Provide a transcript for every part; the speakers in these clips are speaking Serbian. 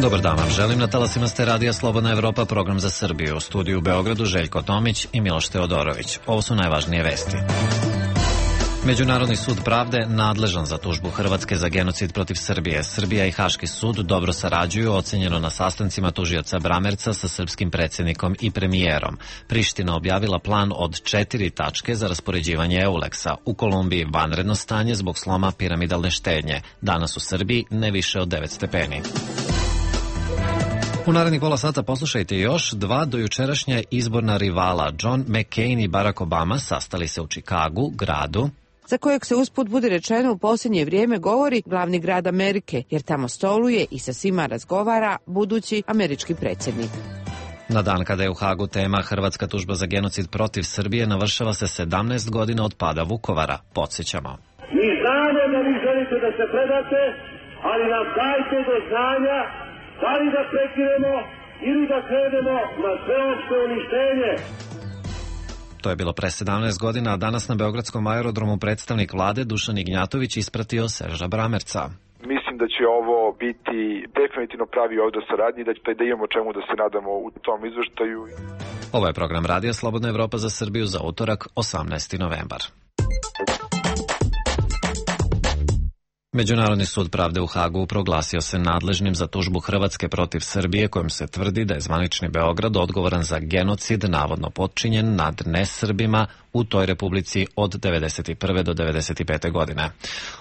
Dobar dan vam želim, na talasima ste Radija Slobodna Evropa, program za Srbiju. U studiju u Beogradu Željko Tomić i Miloš Teodorović. Ovo su najvažnije vesti. Međunarodni sud pravde nadležan za tužbu Hrvatske za genocid protiv Srbije. Srbija i Haški sud dobro sarađuju, ocenjeno na sastancima tužioca Bramerca sa srpskim predsjednikom i premijerom. Priština objavila plan od 4 tačke za raspoređivanje Euleksa. U Kolumbiji vanredno stanje zbog sloma piramidalne štednje. Danas u Srbiji ne više od 9 stepeni. U narednih pola sata poslušajte još dva dojučerašnja izborna rivala. John McCain i Barack Obama sastali se u Čikagu, gradu za kojeg se usput budi rečeno u posljednje vrijeme govori glavni grad Amerike, jer tamo stoluje i sa svima razgovara budući američki predsjednik. Na dan kada je u Hagu tema Hrvatska tužba za genocid protiv Srbije, navršava se 17 godina od pada Vukovara. Podsjećamo. Mi znamo da vi želite da se predate, ali nam dajte do znanja da li da prekinemo ili da krenemo na sveopšte uništenje. To je bilo pre 17 godina, a danas na Beogradskom aerodromu predstavnik vlade Dušan Ignjatović ispratio Serža Bramerca. Mislim da će ovo biti definitivno pravi ovdje saradnji i da imamo čemu da se nadamo u tom izveštaju. Ovo je program Radija Slobodna Evropa za Srbiju za utorak, 18. novembar. Međunarodni sud pravde u Hagu proglasio se nadležnim za tužbu Hrvatske protiv Srbije, kojom se tvrdi da je zvanični Beograd odgovoran za genocid navodno počinjen nad nesrbima u toj republici od 1991. do 1995. godine.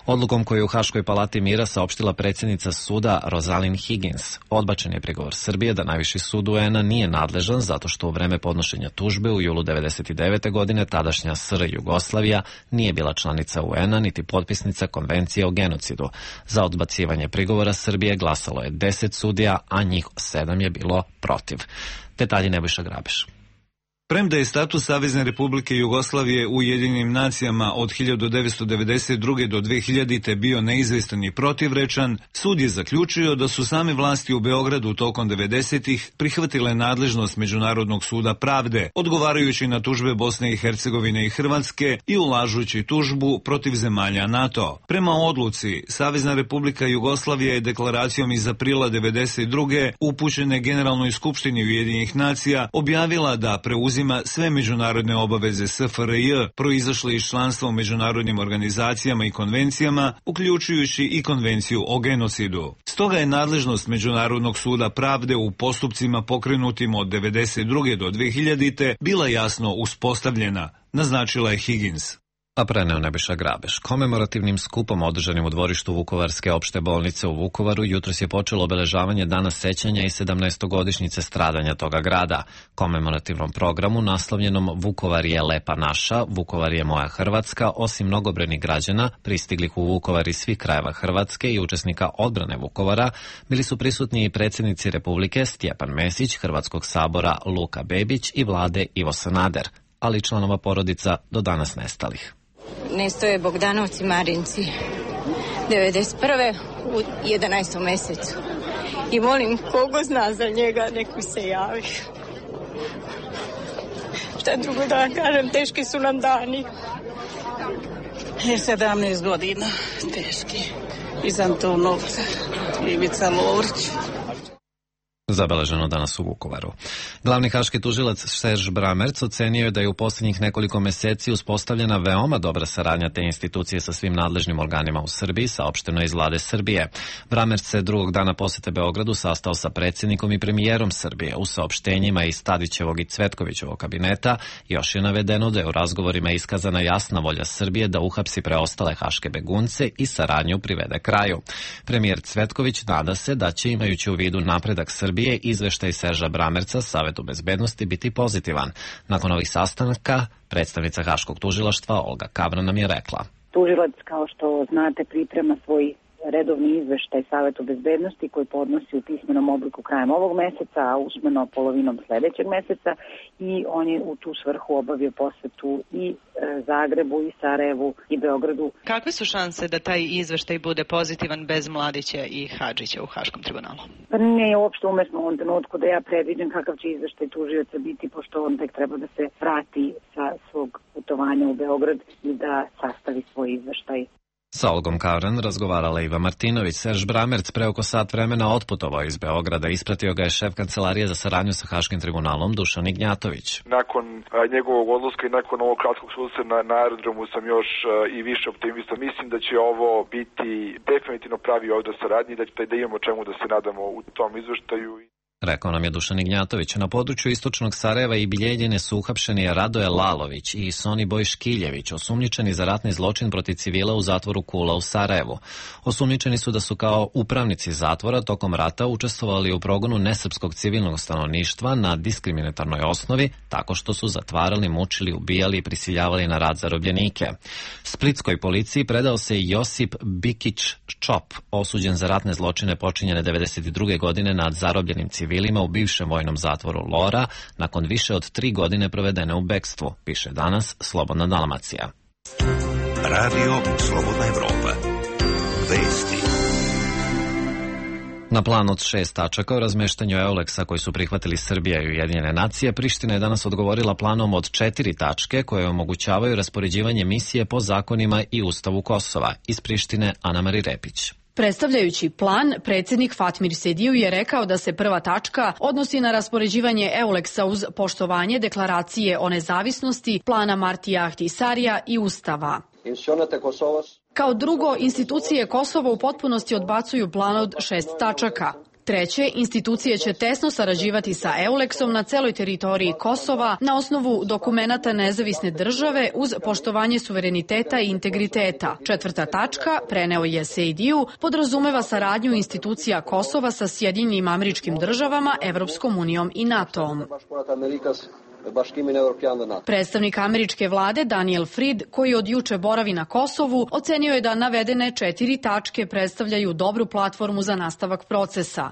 Odlukom koju je u Haškoj palati mira saopštila predsjednica suda Rosalind Higgins, odbačen je prigovor Srbije da najviši sud UN-a nije nadležan zato što u vreme podnošenja tužbe u julu 1999. godine tadašnja SR Jugoslavija nije bila članica UN-a niti potpisnica konvencije o genocidu. Za odbacivanje prigovora Srbije glasalo je 10 sudija, a njih 7 je bilo protiv. Detalji Nebojša Grabeš. Premda je status Savezne Republike Jugoslavije u Ujedinjenim nacijama od 1992. do 2000. bio neizvestan i protivrečan, sud je zaključio da su same vlasti u Beogradu tokom 90-ih prihvatile nadležnost Međunarodnog suda pravde, odgovarajući na tužbe Bosne i Hercegovine i Hrvatske i ulažući tužbu protiv zemalja NATO. Prema odluci, Savezna Republika Jugoslavija je deklaracijom iz aprila 92. upućene Generalnoj skupštini Ujedinjenih nacija objavila da preuzima sve međunarodne obaveze SFRJ proizašle iz članstva u međunarodnim organizacijama i konvencijama, uključujući i konvenciju o genocidu. Stoga je nadležnost Međunarodnog suda pravde u postupcima pokrenutim od 1992. do 2000. bila jasno uspostavljena, naznačila je Higgins. A preneo Nebojša Grabeš. Komemorativnim skupom održanim u dvorištu Vukovarske opšte bolnice u Vukovaru jutros je počelo obeležavanje Dana sećanja i 17-godišnjice stradanja toga grada. Komemorativnom programu naslovljenom Vukovar je lepa naša, Vukovar je moja Hrvatska, osim mnogobrojnih građana pristiglih u Vukovar iz svih krajeva Hrvatske i učesnika odbrane Vukovara, bili su prisutni i predsjednici Republike Stjepan Mesić, Hrvatskog sabora Luka Bebić i vlade Ivo Sanader, ali i članova porodica do danas nestalih. Nesto je Bogdanovci Marinci 91. u 11. mjesecu i molim kogo zna za njega neku se javi. Šta drugo da vam kažem, teški su nam dani. 17 godina teški. Iz Antunovca, Ivica Lovrić. Zabeleženo danas u Vukovaru. Glavni haški tužilac Serž Bramerc ocenio je da je u posljednjih nekoliko mjeseci uspostavljena veoma dobra saradnja te institucije sa svim nadležnim organima u Srbiji, saopšteno iz vlade Srbije. Bramerc se drugog dana posjete Beogradu sastao sa predsjednikom i premijerom Srbije. U saopštenjima iz Tadićevog i Cvetkovićevog kabineta još je navedeno da je u razgovorima iskazana jasna volja Srbije da uhapsi preostale haške begunce i saradnju privede kraju. Premijer Cvetković nada se da će, imajući u vidu napredak Srbije, izveštaj Serža Bramerca Savetu bezbednosti biti pozitivan. Nakon ovih sastanaka, predstavnica Haškog tužilaštva Olga Kavra nam je rekla. Tužilac, kao što znate, priprema svoj redovni izveštaj Savetu bezbednosti koji podnosi u pismenom obliku krajem ovog meseca, a usmeno polovinom sledećeg meseca, i on je u tu svrhu obavio posetu i Zagrebu i Sarajevu i Beogradu. Kakve su šanse da taj izveštaj bude pozitivan bez Mladića i Hadžića u Haškom tribunalu? Pa nije uopšte umesno u ovom trenutku da ja predviđam kakav će izveštaj tužioca biti, pošto on tek treba da se vrati sa svog putovanja u Beograd i da sastavi svoj izveštaj. Sa Olgom Kauren razgovarala Iva Martinović. Serž Bramerc pre oko sat vremena otputovao iz Beograda. Ispratio ga je šef kancelarije za saradnju sa Haškim tribunalom Dušan Ignjatović. Nakon njegovog odlaska i nakon ovog kratkog susreta na aerodromu sam još i više optimista. Mislim da će ovo biti definitivno pravi odnos saradnje, da imamo čemu da se nadamo u tom izveštaju. Rekao nam je Dušan Ignjatović. Na području istočnog Sarajeva i Biljeljine su uhapšeni Radoje Lalović i Soniboj Škiljević, osumnjičeni za ratni zločin protiv civila u zatvoru Kula u Sarajevu. Osumnjičeni su da su kao upravnici zatvora tokom rata učestvovali u progonu nesrpskog civilnog stanovništva na diskriminatornoj osnovi, tako što su zatvarali, mučili, ubijali i prisiljavali na rad zarobljenike. Splitskoj policiji predao se Josip Bikić Čop, osuđen za ratne zločine počinjene 1992. godine nad zarobljenim civilima u bivšem vojnom zatvoru Lora, nakon više od 3 godine provedene u bekstvu, piše danas Slobodna Dalmacija. Radio Slobodna Evropa. Vesti. Na plan od 6 tačaka o razmeštanju Euleksa koji su prihvatili Srbija i Ujedinjene nacije, Priština je danas odgovorila planom od 4 tačke koje omogućavaju raspoređivanje misije po zakonima i Ustavu Kosova. Iz Prištine Ana-Mari Repić. Predstavljajući plan, predsjednik Fatmir Sediju je rekao da se prva tačka odnosi na raspoređivanje Euleksa uz poštovanje deklaracije o nezavisnosti, plana Martija Ahtisarija i Ustava. Kao drugo, institucije Kosova u potpunosti odbacuju plan od 6 tačaka. Treće, institucije će tesno sarađivati sa Euleksom na celoj teritoriji Kosova na osnovu dokumenata nezavisne države uz poštovanje suvereniteta i integriteta. Četvrta tačka, preneo je Sejdiju, podrazumeva saradnju institucija Kosova sa Sjedinjenim Američkim Državama, Evropskom unijom i NATO-om. Predstavnik američke vlade Daniel Fried, koji od juče boravi na Kosovu, ocenio je da navedene 4 tačke predstavljaju dobru platformu za nastavak procesa.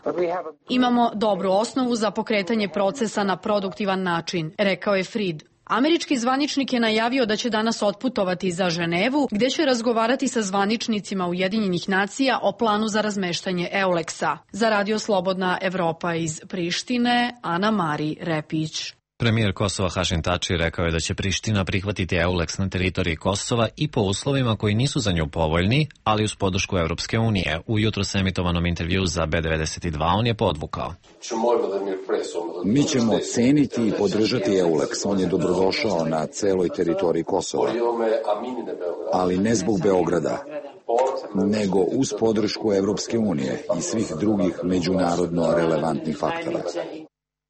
Imamo dobru osnovu za pokretanje procesa na produktivan način, rekao je Fried. Američki zvaničnik je najavio da će danas otputovati za Ženevu, gde će razgovarati sa zvaničnicima Ujedinjenih nacija o planu za razmeštanje Euleksa. Za Radio Slobodna Evropa iz Prištine, Ana-Mari Repić. Premijer Kosova Hašim Tači rekao je da će Priština prihvatiti Euleks na teritoriji Kosova i po uslovima koji nisu za nju povoljni, ali uz podršku Evropske unije. U jutros emitovanom intervju za B92 on je podvukao. Mi ćemo ceniti i podržati Euleks. On je dobrodošao na celoj teritoriji Kosova, ali ne zbog Beograda, nego uz podršku Evropske unije i svih drugih međunarodno relevantnih faktora.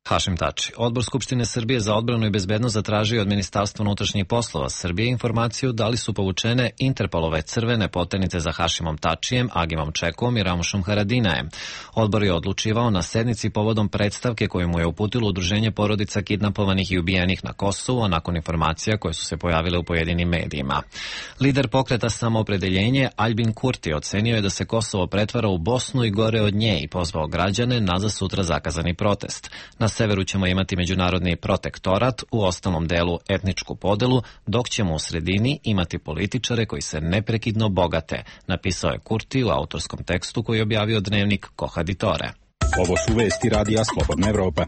Hašim Tači. Odbor Skupštine Srbije za odbranu i bezbednost zatražio od Ministarstva unutrašnjih poslova Srbije informaciju da li su povučene Interpolove crvene poternice za Hašimom Tačijem, Agimom Čekom i Ramušom Haradinajem. Odbor je odlučivao na sednici povodom predstavke koju mu je uputilo Udruženje porodica kidnapovanih i ubijenih na Kosovu, a nakon informacija koje su se pojavile u pojedinim medijima. Lider pokreta Samoopredeljenje Aljbin Kurti ocenio je da se Kosovo pretvara u Bosnu i gore od nje i pozvao građane na za sutra zakazani protest. Na severu ćemo imati međunarodni protektorat, u ostalom delu etničku podelu, dok ćemo u sredini imati političare koji se neprekidno bogate, napisao je Kurti u autorskom tekstu koji je objavio dnevnik Kohaditore. Ovo su vesti Radija Slobodna Evropa.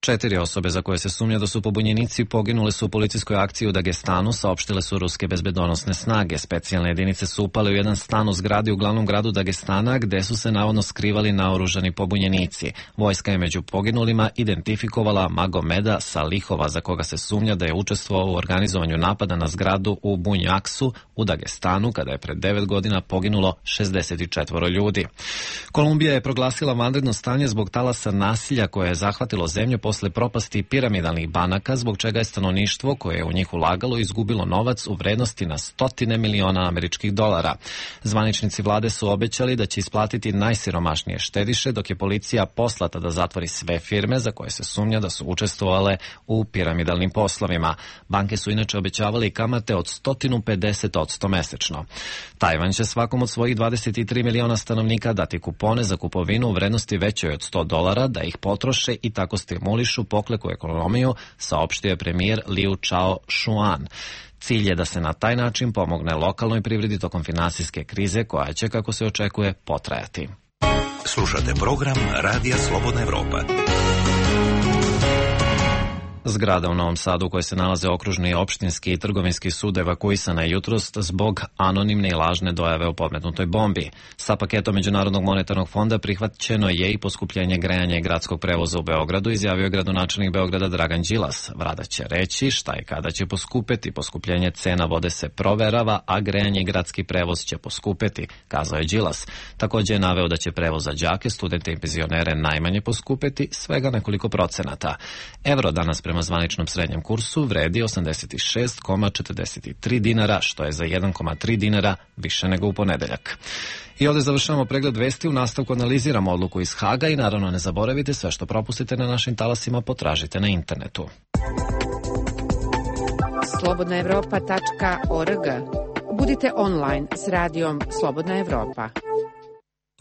4 osobe za koje se sumnja da su pobunjenici poginule su u policijskoj akciji u Dagestanu, saopštile su ruske bezbedonosne snage. Specijalne jedinice su upale u jedan stan u zgradi u glavnom gradu Dagestana, gde su se navodno skrivali naoružani pobunjenici. Vojska je među poginulima identifikovala Magomeda Salihova, za koga se sumnja da je učestvovao u organizovanju napada na zgradu u Bunjaksu u Dagestanu, kada je pred 9 godina poginulo 64 ljudi. Kolumbija je proglasila vanredno stanje zbog talasa nasilja koje je zahvatilo zemlju posle posle propasti piramidalnih banaka, zbog čega je stanovništvo koje je u njih ulagalo izgubilo novac u vrednosti na stotine miliona američkih dolara. Zvaničnici vlade su obećali da će isplatiti najsiromašnije štediše, dok je policija poslata da zatvori sve firme za koje se sumnja da su učestvovale u piramidalnim poslovima. Banke su inače obećavale i kamate od 150% mesečno. Tajvan će svakom od svojih 23 miliona stanovnika dati kupone za kupovinu u vrednosti većoj od $100 da ih potroše i tako stimulišu pokleku ekonomiju, saopštio je premijer Liu Chao-shuan. Cilj je da se na taj način pomogne lokalnoj privredi tokom finansijske krize koja će, kako se očekuje, potrajati. Slušate program Radija Slobodna Evropa. Zgrada u Novom Sadu u kojoj se nalaze okružni, opštinski i trgovinski sud evakuisana je jutros zbog anonimne i lažne dojave o podmetnutoj bombi. Sa paketom Međunarodnog monetarnog fonda prihvaćeno je i poskupljenje grejanja i gradskog prevoza u Beogradu, izjavio je gradonačelnik Beograda Dragan Đilas. Vlada će reći šta i kada će poskupeti. Poskupljenje cena vode se proverava, a grejanje i gradski prevoz će poskupeti, kazao je Đilas. Također je naveo da će prevoz za đake, studente i penzionere najmanje poskupeti, svega nekoliko procenata. Evro danas prema zvaničnom srednjem kursu vredi 86,43 dinara, što je za 1,3 dinara više nego u ponedeljak. I ovdje završavamo pregled vesti, u nastavku analiziramo odluku iz Haga i naravno ne zaboravite, sve što propustite na našim talasima potražite na internetu. slobodnaevropa.org. Budite online s radijom Slobodna Evropa.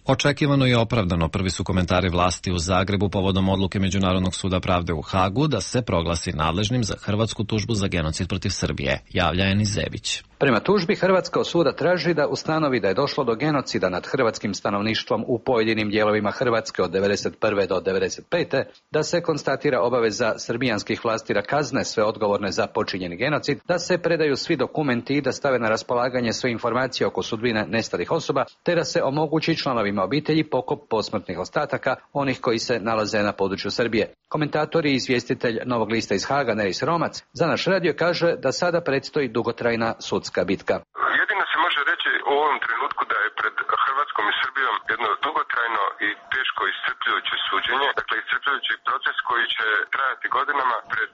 Očekivano i opravdano prvi su komentari vlasti u Zagrebu povodom odluke Međunarodnog suda pravde u Hagu da se proglasi nadležnim za hrvatsku tužbu za genocid protiv Srbije, javlja Enis Zebić. Prema tužbi Hrvatska od suda traži da ustanovi da je došlo do genocida nad hrvatskim stanovništvom u pojedinim dijelovima Hrvatske od 1991. do 1995. Da se konstatira obaveza srbijanskih vlasti da kazne sve odgovorne za počinjeni genocid, da se predaju svi dokumenti i da stave na raspolaganje sve informacije oko sudbine nestalih osoba, te da se omogući članovima obitelji pokop posmrtnih ostataka onih koji se nalaze na području Srbije. Komentator i izvjestitelj Novog lista iz Haga, Neris Romac, za naš radio kaže da sada predstoji dugotrajna sudska bitka. Jedino se može reći u ovom trenutku da je pred Hrvatskom i Srbijom jedno dugotrajno i teško iscrpljujuće suđenje, dakle iscrpljujući proces koji će trajati godinama pred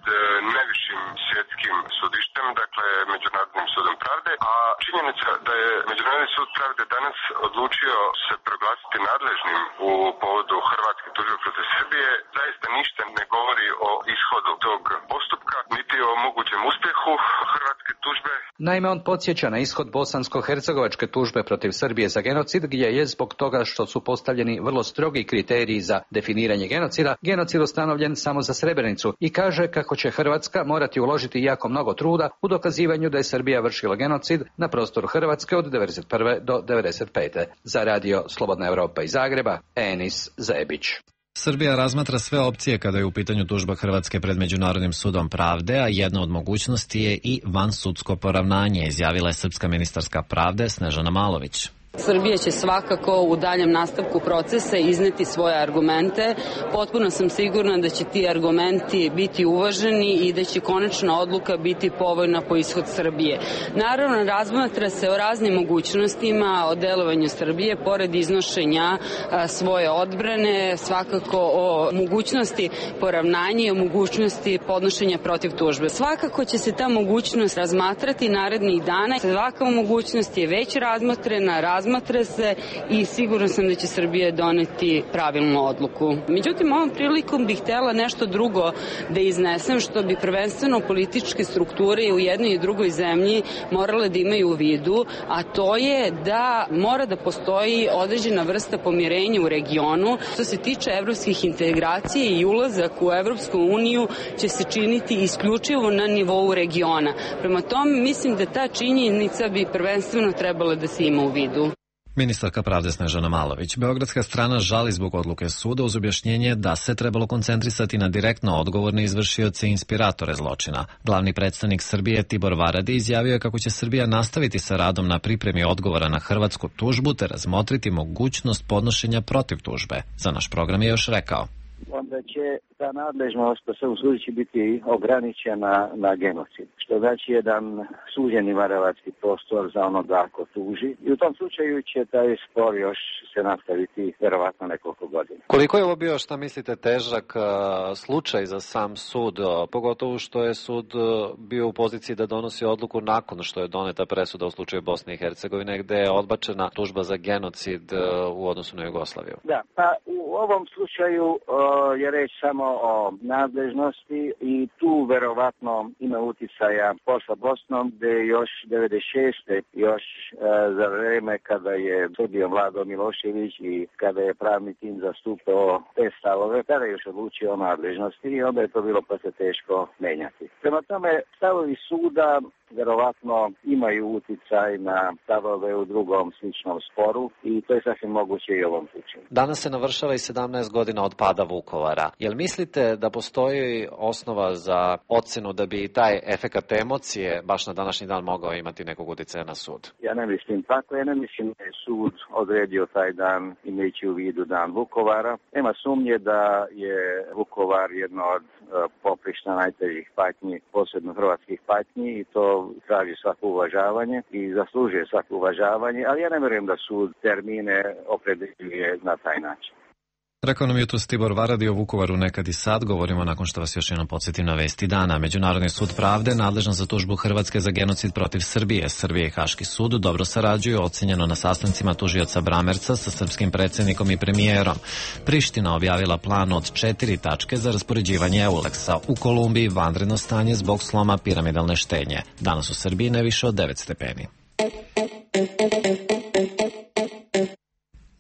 najvišim svjetskim sudištem, dakle Međunarodnim sudom pravde, a činjenica da je Međunarodni sud pravde danas odlučio se proglasiti nadležnim u povodu hrvatske tužbe protiv Srbije zaista ništa ne govori o ishodu tog postupka, niti o mogućem uspjehu hrvatske tužbe. Naime, on podsjeća na ishod bosansko-hercegovačke tužbe protiv Srbije za genocid, gdje je zbog toga što su postavljeni vrlo strogi kriteriji za definiranje genocida, genocid ustanovljen samo za Srebrenicu i kaže kako će Hrvatska morati uložiti jako mnogo truda u dokazivanju da je Srbija vršila genocid na prostoru Hrvatske od 1991. do 1995. Za radio Slobodna Evropa iz Zagreba, Enis Zebić. Srbija razmatra sve opcije kada je u pitanju tužba Hrvatske pred Međunarodnim sudom pravde, a jedna od mogućnosti je i vansudsko poravnanje, izjavila je srpska ministarska pravde Snežana Malović. Srbija će svakako u daljem nastavku procesa izneti svoje argumente. Potpuno sam sigurna da će ti argumenti biti uvaženi i da će konačna odluka biti povoljna po ishod Srbije. Naravno, razmatra se o raznim mogućnostima o delovanju Srbije, pored iznošenja svoje odbrane, svakako o mogućnosti poravnanja i o mogućnosti podnošenja protiv tužbe. Svakako će se ta mogućnost razmatrati narednih dana. Svaka mogućnost je već razmatra se i sigurno sam da će Srbija doneti pravilnu odluku. Međutim, ovom prilikom bih htjela nešto drugo da iznesem, što bi prvenstveno političke strukture u jednoj i drugoj zemlji morale da imaju u vidu, a to je da mora da postoji određena vrsta pomirenja u regionu. Što se tiče evropskih integracija i ulazak u Evropsku uniju će se činiti isključivo na nivou regiona. Prema tome, mislim da ta činjenica bi prvenstveno trebala da se ima u vidu. Ministarka pravde Snežana Malović. Beogradska strana žali zbog odluke suda uz objašnjenje da se trebalo koncentrisati na direktno odgovorne izvršioce i inspiratore zločina. Glavni predstavnik Srbije Tibor Varadi izjavio je kako će Srbija nastaviti sa radom na pripremi odgovora na hrvatsku tužbu te razmotriti mogućnost podnošenja protiv tužbe. Za naš program je još rekao. onda će ta nadležnost po svom sudu će biti ograničena na genocid. Što znači jedan suđeni varavački prostor za onoga ko tuži. I u tom slučaju će taj spor još se nastaviti verovatno nekoliko godina. Koliko je ovo bio, šta mislite, težak slučaj za sam sud, pogotovo što je sud bio u poziciji da donosi odluku nakon što je doneta presuda u slučaju Bosne i Hercegovine, gde je odbačena tužba za genocid u odnosu na Jugoslaviju? Da, pa u ovom slučaju je reč samo o nadležnosti i tu verovatno ima uticaja posla Bosnom, gde još 96. još za vreme kada je Srbijom vladao Milošević i kada je pravni tim zastupao te stavove, kada je još odlučio o nadležnosti i onda je to bilo posle teško menjati. Prema tome, stavovi suda verovatno imaju uticaj na stavove u drugom sličnom sporu i to je sasvim moguće i u ovom slučaju. Danas se navršava i 17 godina od pada Vukovara. Jel mislite da postoji osnova za ocenu da bi taj efekat emocije baš na današnji dan mogao imati nekog uticaja na sud? Ja ne mislim tako, ja ne mislim da je sud odredio taj dan imajući u vidu dan Vukovara. Nema sumnje da je Vukovar jedno od poprišta najtežih patnji, posebno hrvatskih patnji i to traži svako uvažavanje i zaslužuje svako uvažavanje, ali ja ne vjerujem da sud termine opredeljuje na taj način. Rekao nam jutros Tibor Varadi o Vukovaru nekad i sad. Govorimo nakon što vas još jednom podsjetim na vesti dana. Međunarodni sud pravde nadležan za tužbu Hrvatske za genocid protiv Srbije. Srbije i Haški sud dobro sarađuju, ocenjeno na sastancima tužioca Bramerca sa srpskim predsjednikom i premijerom. Priština objavila plan od 4 tačke za raspoređivanje Euleksa. U Kolumbiji vanredno stanje zbog sloma piramidalne štenje. Danas u Srbiji ne više od 9 stepeni.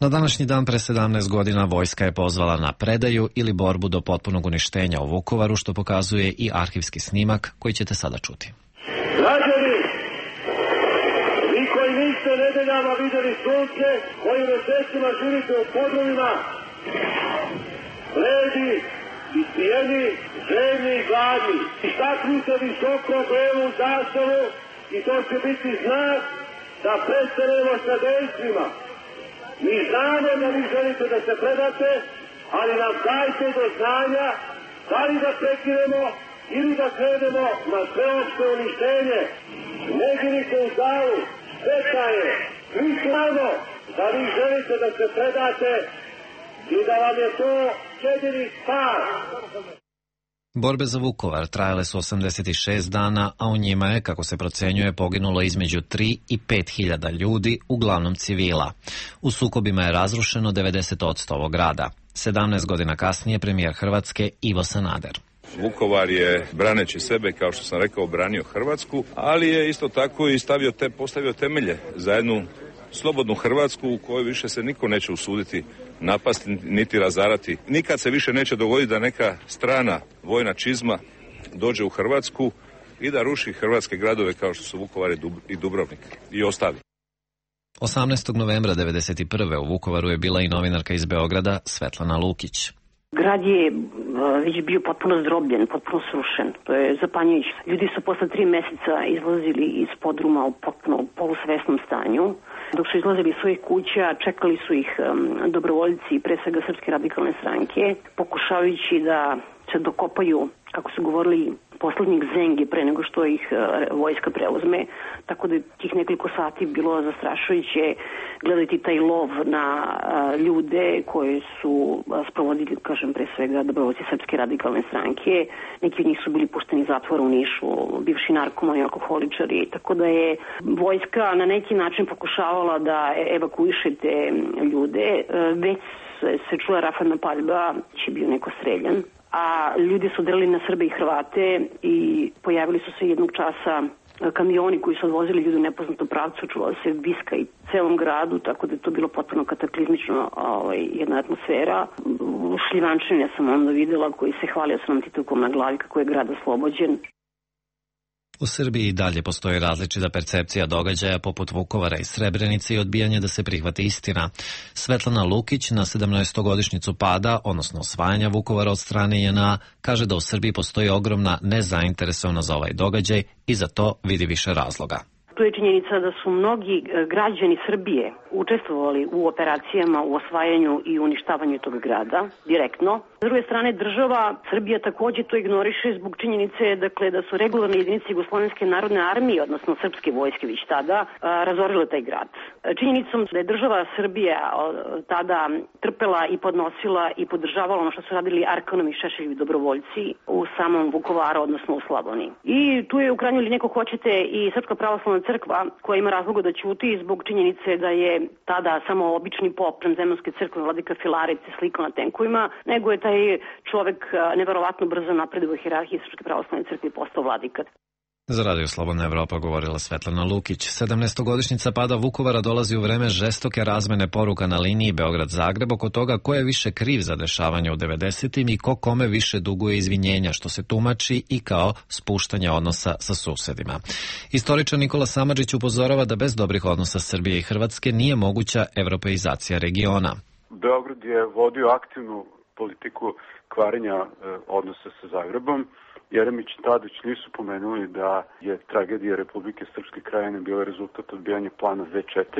Na današnji dan pre 17 godina vojska je pozvala na predaju ili borbu do potpunog uništenja u Vukovaru, što pokazuje i arhivski snimak koji ćete sada čuti. Građani, vi koji niste nedeljama vidjeli sunce, koji mesecima živite u podrumima, bledi, ispijeni, željni i gladni. Istaknite visoko belu zastavu i to će biti znak da prestanemo sa dejstvima. Mi znamo da vi želite da se predate, ali nam dajte do znanja da li da prekinemo ili da krenemo na sveopšte uništenje. Ne girite u zavu, šteta je. Mi znamo da vi želite da se predate i da vam je to jedini spas. Borbe za Vukovar trajale su 86 dana, a u njima je, kako se procenjuje, poginulo između 3 i 5 hiljada ljudi, uglavnom civila. U sukobima je razrušeno 90% ovog grada. 17 godina kasnije premijer Hrvatske Ivo Sanader. Vukovar je, braneći sebe, kao što sam rekao, branio Hrvatsku, ali je isto tako i postavio temelje za jednu slobodnu Hrvatsku u kojoj više se niko neće usuditi napasti niti razarati. Nikad se više neće dogoditi da neka strana vojna čizma dođe u Hrvatsku i da ruši hrvatske gradove kao što su Vukovar i Dubrovnik i ostali. 18. novembra 1991. u Vukovaru je bila i novinarka iz Beograda Svetlana Lukić. Grad je već bio potpuno zdrobljen, potpuno srušen. To je zapanjujuće. Ljudi su posle 3 meseca izlazili iz podruma u potpuno polusvesnom stanju. Dok su izlazili iz svojih kuća, čekali su ih dobrovoljci, pre svega Srpske radikalne stranke, pokušavajući da se dokopaju, kako su govorili, poslednjih zengi pre nego što ih vojska preuzme. Tako da tih nekoliko sati bilo zastrašujuće gledati taj lov na ljude koje su sprovodili, kažem, pre svega dobrovoljci Srpske radikalne stranke. Neki od njih su bili pušteni iz zatvora u Nišu, bivši narkomani, alkoholičari. Tako da je vojska na neki način pokušavala da evakuiše te ljude. Već se čula rafalna paljba, će bio neko streljan. A ljudi su delili na Srbe i Hrvate i pojavili su se jednog časa kamioni koji su odvozili ljudi u nepoznatom pravcu, čuvala se viska i celom gradu, tako da je to bilo potpuno kataklizmično jedna atmosfera. Šljivančine sam onda videla koji se hvalio sa nam titulkom na glavi kako je grad oslobođen. U Srbiji i dalje postoji različita percepcija događaja poput Vukovara i Srebrenice i odbijanje da se prihvati istina. Svetlana Lukić na 17-godišnjicu pada, odnosno osvajanja Vukovara od strane JNA, kaže da u Srbiji postoji ogromna nezainteresovanost za ovaj događaj i za to vidi više razloga. Tu je činjenica da su mnogi građani Srbije učestvovali u operacijama, u osvajanju i uništavanju tog grada direktno. S druge strane, država Srbija takođe to ignoriše zbog činjenice da su regularne jedinice Jugoslovenske narodne armije, odnosno srpske vojske već tada, razorile taj grad. Činjenicom da je država Srbija tada trpela i podnosila i podržavala ono što su radili Arkanovi i Šešeljevi dobrovoljci u samom Vukovaru, odnosno u Slavoniji. I tu je u krajnjoj liniji, ako hoćete, i Srpska pravoslavna crkva koja ima razloga da ćuti zbog činjenice da je tada samo obični pop Zemljanske crkve vladika Filarec slikao na tenkovima, nego je taj čovek neverovatno brzo napreduje u hijerarhiji Srpske pravoslavne crkve i postao vladika. Za Radio Slobodna Evropa govorila Svetlana Lukić. 17-godišnjica pada Vukovara dolazi u vreme žestoke razmene poruka na liniji Beograd-Zagreb oko toga ko je više kriv za dešavanje u 90-im i ko kome više duguje izvinjenja, što se tumači i kao spuštanje odnosa sa susedima. Istoričar Nikola Samardžić upozorava da bez dobrih odnosa Srbije i Hrvatske nije moguća evropeizacija regiona. Beograd je vodio aktivnu politiku kvarenja odnosa sa Zagrebom. Jeremić i Tadić nisu pomenuli da je tragedija Republike Srpske Krajine bila rezultat odbijanja plana Z4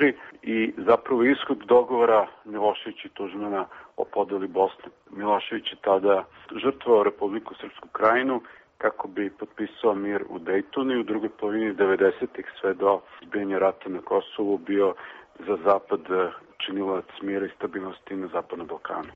i zapravo ishod dogovora Milošević i Tuđmana o podeli Bosne. Milošević je tada žrtvovao Republiku Srpsku Krajinu kako bi potpisao mir u Dejtonu i u drugoj polovini 90-ih sve do izbijanja rata na Kosovu bio za Zapad činilac mira i stabilnosti na Zapadnom Balkanu.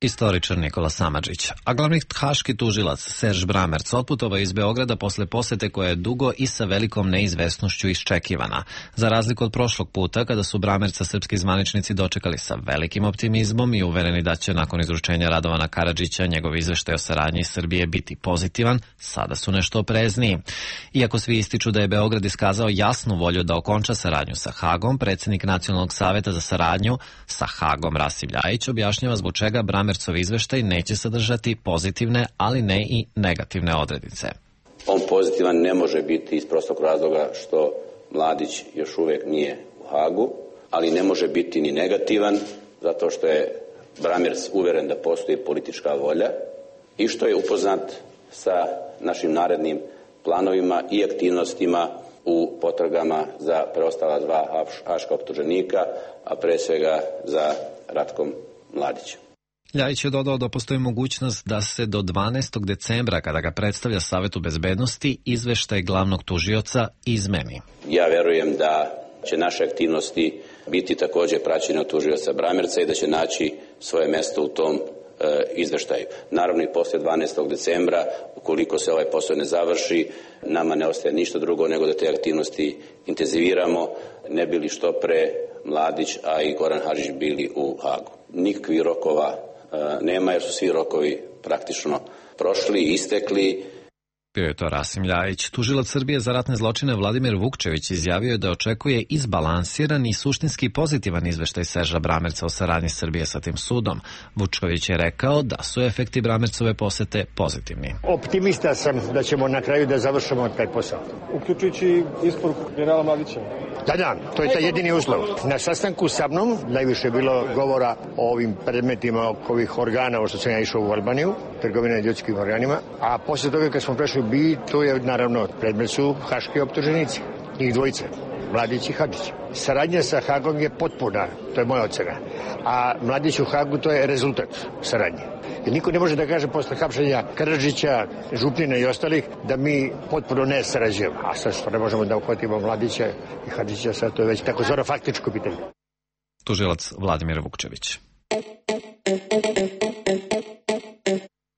Istoričar Nikola Samardžić. A glavni haški tužilac Serž Bramerc otputovao iz Beograda posle posete koja je dugo i sa velikom neizvesnošću iščekivana. Za razliku od prošlog puta, kada su Bramerca srpski zvaničnici dočekali sa velikim optimizmom i uvereni da će nakon izručenja Radovana Karadžića njegov izveštaj o saradnji Srbije biti pozitivan, sada su nešto oprezniji. Iako svi ističu da je Beograd iskazao jasnu volju da okonča saradnju sa Hagom, predsjednik Nacionalnog saveta za saradnju sa Hagom Rasim Ljajić objašnjava zbog čega Bramercov izveštaj neće sadržati pozitivne, ali ne i negativne odrednice. On pozitivan ne može biti iz prostog razloga što Mladić još uvijek nije u Hagu, ali ne može biti ni negativan zato što je Bramerc uveren da postoji politička volja i što je upoznat sa našim narednim planovima i aktivnostima u potragama za preostala dva haška optuženika, a pre svega za Ratkom Mladićem. Ljajić je dodao da postoji mogućnost da se do 12. decembra, kada ga predstavlja Savetu bezbednosti, izveštaj glavnog tužioca izmeni. Ja verujem da će naše aktivnosti biti također praćene od tužioca Bramerca i da će naći svoje mesto u tom izveštaju. Naravno i posle 12. decembra, ukoliko se ovaj posao ne završi, nama ne ostaje ništa drugo nego da te aktivnosti intenziviramo, ne bili što pre Mladić, a i Goran Hadžić bili u Hagu. Nikakvih rokova nema jer su svi rokovi praktično prošli i istekli. Bio je to Rasim Ljajić. Tužilac Srbije za ratne zločine Vladimir Vukčević izjavio je da očekuje izbalansiran i suštinski pozitivan izveštaj Serža Bramerca o saradnji Srbije sa tim sudom. Vučković je rekao da su efekti Bramercove posete pozitivni. Optimista sam da ćemo na kraju da završimo taj posao. Uključujući isporuku generala Mladića. Da, to je taj jedini uslov. Na sastanku sa mnom najviše je bilo govora o ovim predmetima oko ovih organa, ovo što sam ja išao u Albaniju, trgovina ljudskim organima, a posle toga kad smo prešli to je naravno predmet su haški optuženici, njih dvojice, Mladić i Hadžić. Saradnja sa Hagom je potpuna, to je moja ocena, a Mladić u Hagu to je rezultat saradnje. Jer niko ne može da kaže posle hapšenja Karadžića, Župnina i ostalih da mi potpuno ne sarađujemo. A sad što ne možemo da uhvatimo Mladića i Hadžića, sad to je već tako zvano faktičko pitanje. Tužilac Vladimir Vukčević.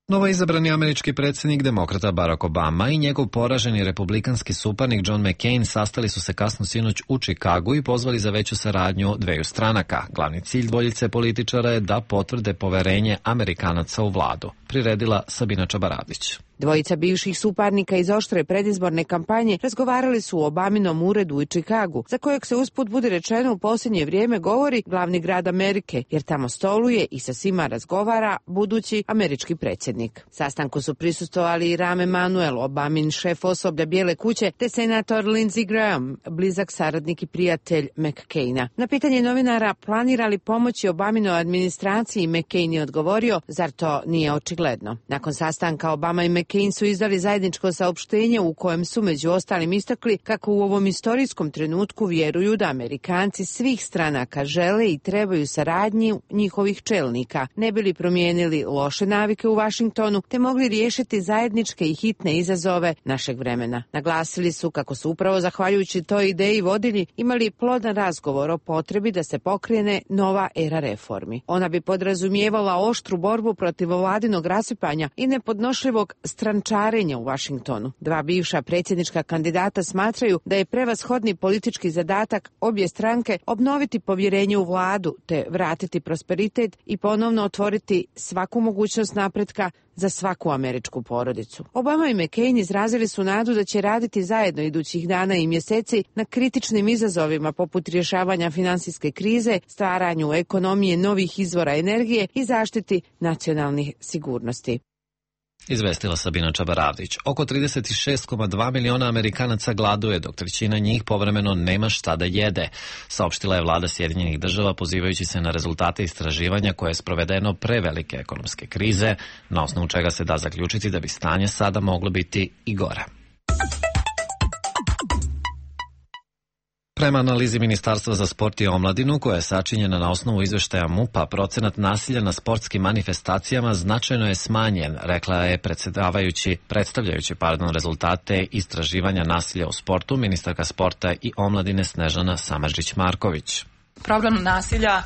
Novo izabrani američki predsjednik demokrata Barack Obama i njegov poraženi republikanski suparnik John McCain sastali su se kasno sinoć u Čikagu i pozvali za veću saradnju dveju stranaka. Glavni cilj dvojice političara je da potvrde poverenje Amerikanaca u vladu. Priredila Sabina Čabaradić. Dvojica bivših suparnika iz oštre predizborne kampanje razgovarali su u Obaminom uredu u Čikagu, za kojeg se usput budi rečeno u posljednje vrijeme govori glavni grad Amerike, jer tamo stoluje i sa svima razgovara budući američki predsjednik. Sastanku su prisustvovali i Rahm Emanuel, Obamin šef osoblja Bijele kuće, te senator Lindsey Graham, blizak saradnik i prijatelj McCaina. Na pitanje novinara planira li pomoći Obaminoj administraciji, McCain je odgovorio, zar to nije očigledno. Nakon sastanka Obama i McCain McCain su izdali zajedničko saopštenje u kojem su među ostalim istakli kako u ovom istorijskom trenutku vjeruju da Amerikanci svih stranaka žele i trebaju saradnji njihovih čelnika, ne bili promijenili loše navike u Vašingtonu, te mogli riješiti zajedničke i hitne izazove našeg vremena. Naglasili su kako su upravo zahvaljujući toj ideji vodilji imali plodan razgovor o potrebi da se pokrene nova era reformi. Ona bi podrazumijevala oštru borbu protiv vladinog rasipanja i nepodnošljivog strančarenja u Vašingtonu. Dva bivša predsjednička kandidata smatraju da je prevashodni politički zadatak obje stranke obnoviti povjerenje u vladu te vratiti prosperitet i ponovno otvoriti svaku mogućnost napretka za svaku američku porodicu. Obama i McCain izrazili su nadu da će raditi zajedno idućih dana i mjeseci na kritičnim izazovima poput rješavanja finansijske krize, stvaranju ekonomije novih izvora energije i zaštiti nacionalnih sigurnosti. Izvestila Sabina Čabaravdić. Oko 36,2 miliona Amerikanaca gladuje, dok trećina njih povremeno nema šta da jede, saopštila je vlada Sjedinjenih država pozivajući se na rezultate istraživanja koje je sprovedeno pre velike ekonomske krize, na osnovu čega se da zaključiti da bi stanje sada moglo biti i gore. Prema analizi Ministarstva za sport i omladinu, koja je sačinjena na osnovu izveštaja MUP-a, procenat nasilja na sportskim manifestacijama značajno je smanjen, rekla je predstavljajući rezultate istraživanja nasilja u sportu ministarka sporta i omladine Snežana Samardžić-Marković. Problem nasilja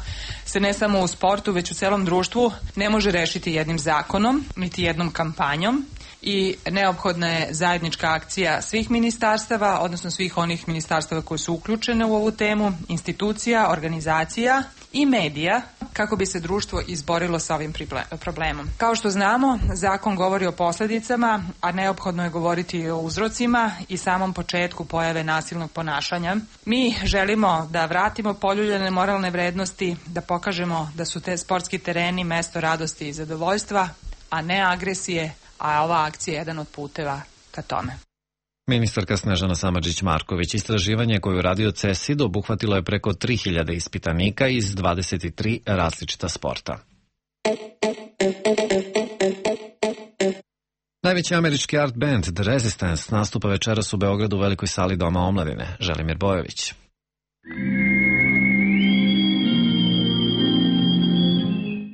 se ne samo u sportu, već u celom društvu ne može rešiti jednim zakonom, niti jednom kampanjom. I neophodna je zajednička akcija svih ministarstava, odnosno svih onih ministarstava koji su uključene u ovu temu, institucija, organizacija i medija, kako bi se društvo izborilo sa ovim problemom. Kao što znamo, zakon govori o posljedicama, a neophodno je govoriti i o uzrocima i samom početku pojave nasilnog ponašanja. Mi želimo da vratimo poljuljane moralne vrednosti, da pokažemo da su te sportski tereni mesto radosti i zadovoljstva, a ne agresije, a ova akcija je jedan od puteva ka tome. Ministarka Snežana Samardžić-Marković istraživanje koje je uradio CESID obuhvatilo je preko 3000 ispitanika iz 23 različita sporta. Najveći američki art band The Resistance nastupa večeras u Beogradu u velikoj sali Doma omladine. Želimir Bojović.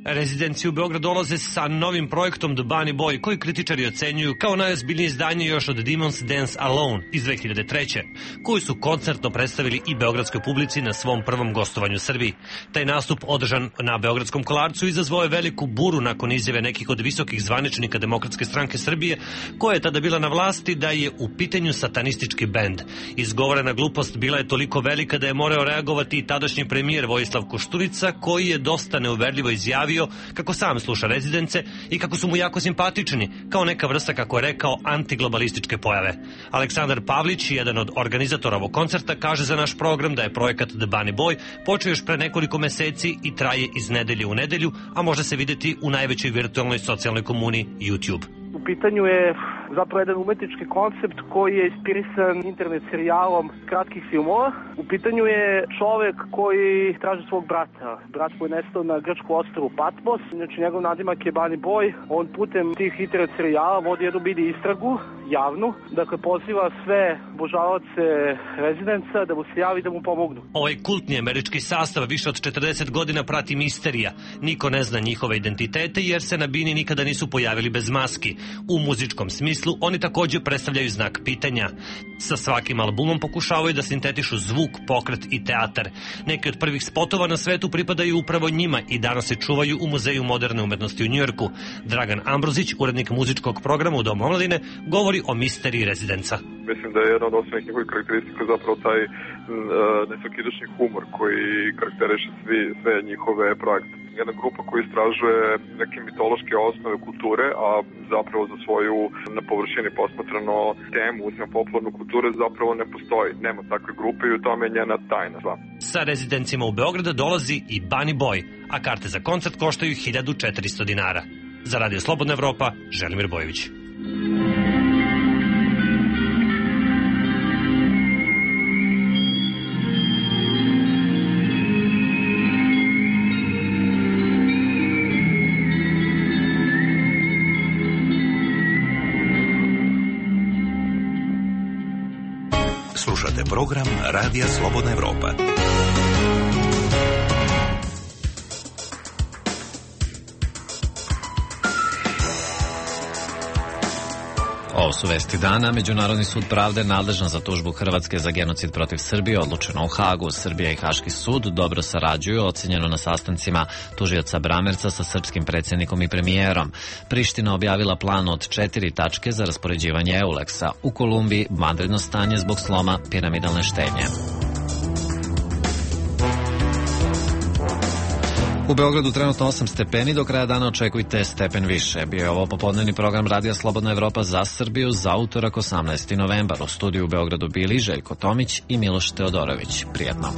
Rezidenci u Beograd dolaze sa novim projektom The Bunny Boy, koji kritičari ocenjuju kao najozbiljnije izdanje još od Demons Dance Alone iz 2003. koji su koncertno predstavili i beogradskoj publici na svom prvom gostovanju u Srbiji. Taj nastup, održan na Beogradskom Kolarcu, izazvao je veliku buru nakon izjave nekih od visokih zvaničnika Demokratske stranke Srbije, koja je tada bila na vlasti, da je u pitanju satanistički bend. Izgovorena glupost bila je toliko velika da je morao reagovati i tadašnji premijer Vojislav Koštunica, koji je dosta neuverljivo izjavio kako sam sluša Rezidence i kako su mu jako simpatični, kao neka vrsta, kako je rekao, antiglobalističke pojave. Aleksandar Pavlić, jedan od organizatora ovog koncerta, kaže za naš program da je projekat The Bunny Boy počeo još pre nekoliko meseci i traje iz nedelje u nedelju, a može se vidjeti u najvećoj virtualnoj socijalnoj komuni YouTube. U pitanju je zapravo jedan umetnički koncept koji je inspirisan internet serijalom kratkih filmova. U pitanju je čovek koji traži svog brata. Brat koji je nestao na grčku ostrvu Patmos. Znači, njegov nadimak je Bunny Boy. On putem tih internet serijala vodi jednu mini istragu, javnu. Dakle, poziva sve obožavaoce Rezidenca da mu se javi da mu pomognu. Ovaj kultni američki sastav više od 40 godina prati misterija. Niko ne zna njihove identitete jer se na bini nikada nisu pojavili bez maski. U muzičkom smislu oni također predstavljaju znak pitanja. Sa svakim albumom pokušavaju da sintetišu zvuk, pokret i teatar. Neki od prvih spotova na svetu pripadaju upravo njima i danas se čuvaju u Muzeju moderne umetnosti u Njujorku. Dragan Ambrozić, urednik muzičkog programa u Domu omladine, govori o misteriji Rezidenca. Mislim da je jedna od osnovnih njihovih karakteristika zapravo taj nesvakidašnji humor koji karakteriše sve njihove projekte. Jedna grupa koja istražuje neke mitološke osnove kulture, a zapravo za svoju na površini posmatrano temu, uzmem popularnu kulturu, zapravo ne postoji. Nema takve grupe i u tome je njena tajna. Sa Rezidencima u Beograda dolazi i Bunny Boy, a karte za koncert koštaju 1400 dinara. Za Radio Slobodna Evropa, Želimir Bojović. Slušate program Radija Slobodna Evropa. Ovo su vesti dana. Međunarodni sud pravde nadležan za tužbu Hrvatske za genocid protiv Srbije odlučeno u Hagu. Srbija i Haški sud dobro sarađuju, ocenjeno na sastancima tužioca Bramerca sa srpskim predsjednikom i premijerom. Priština objavila plan od 4 tačke za raspoređivanje Euleksa. U Kolumbiji vanredno stanje zbog sloma piramidalne štednje. U Beogradu trenutno 8 stepeni, do kraja dana očekujte stepen više. Bio je ovo popodnevni program Radija Slobodna Evropa za Srbiju za utorak 18. novembar. U studiju u Beogradu bili Željko Tomić i Miloš Teodorović. Prijetno.